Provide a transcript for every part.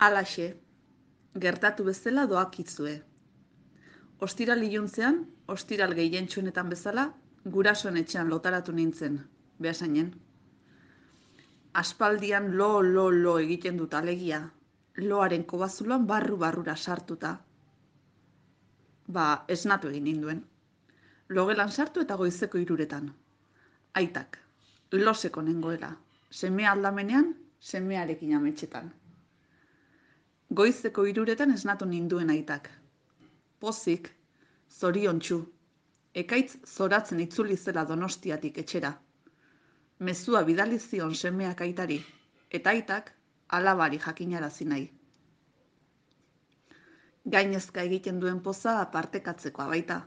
Halaxe, gertatu bezala doakizue. Ostiral iluntzean, ostiral gehientsuenetan bezala, gurasoen etxean lotaratu nintzen, behasainen. Aspaldian lo egiten dut alegia, loaren kobazuloan barru-barrura sartuta. Esnatu egin ninduen. Logelan sartu eta goizeko 3:00. Aitak, loseko nengoela, semea aldamenean, semearekin ametxetan. Goizeko 3:00 esnatu ninduen aitak. Pozik, zoriontsu, ekaitz zoratzen itzuli zela Donostiatik etxera. Mezua bidali zion semeak aitari, eta aitak alabari jakinarazi nahi. Gainezka egiten duen poza partekatzekoa baita.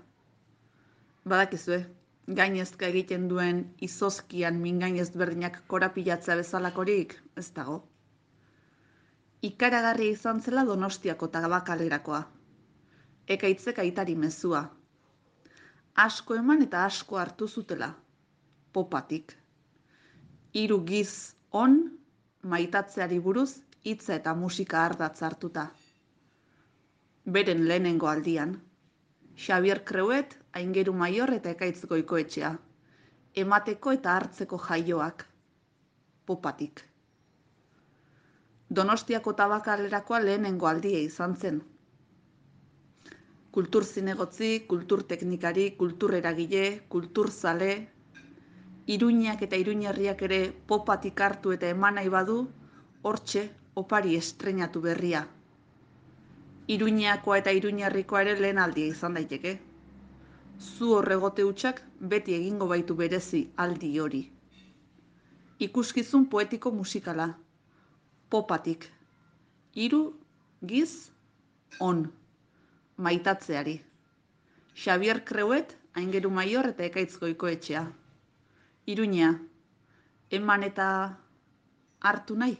Badakizue, gainezka egiten duen izozkian mingain ezberdinak korapilatzea bezalakorik ez dago. Ikaragarria izan zela Donostiako tabakalerakoa. Ekaitzek aitari mezua. Asko eman eta asko hartu zutela. Popatik. 3 giz on maitatzeari buruz hitza eta musika ardatz hartuta. Beren lehenengo aldian. Xabier Creuet, Aingeru Maior eta Ekaitz Goikoetxea. Emateko eta hartzeko jaioak. Popatik. Donostiako tabakalerakoa lehenengo aldia izan zen. Kultur zinegotzi, kultur teknikari, kultur eragile, kultur zale, Iruñak eta Iruñerriak ere popatik hartu eta eman nahi badu, hortxe opari estreinatu berria. Iruñakoa eta Iruñerrikoa ere lehen aldia izan daiteke. Zu horregote hutsak beti egingo baitu berezi aldi hori. Ikuskizun poetiko musikala. Popatik. 3 giz on. Maitatzeari. Xabier Creuet, Aingeru Maior eta Ekaitz Goikoetxea. Iruña, eman eta hartu nahi.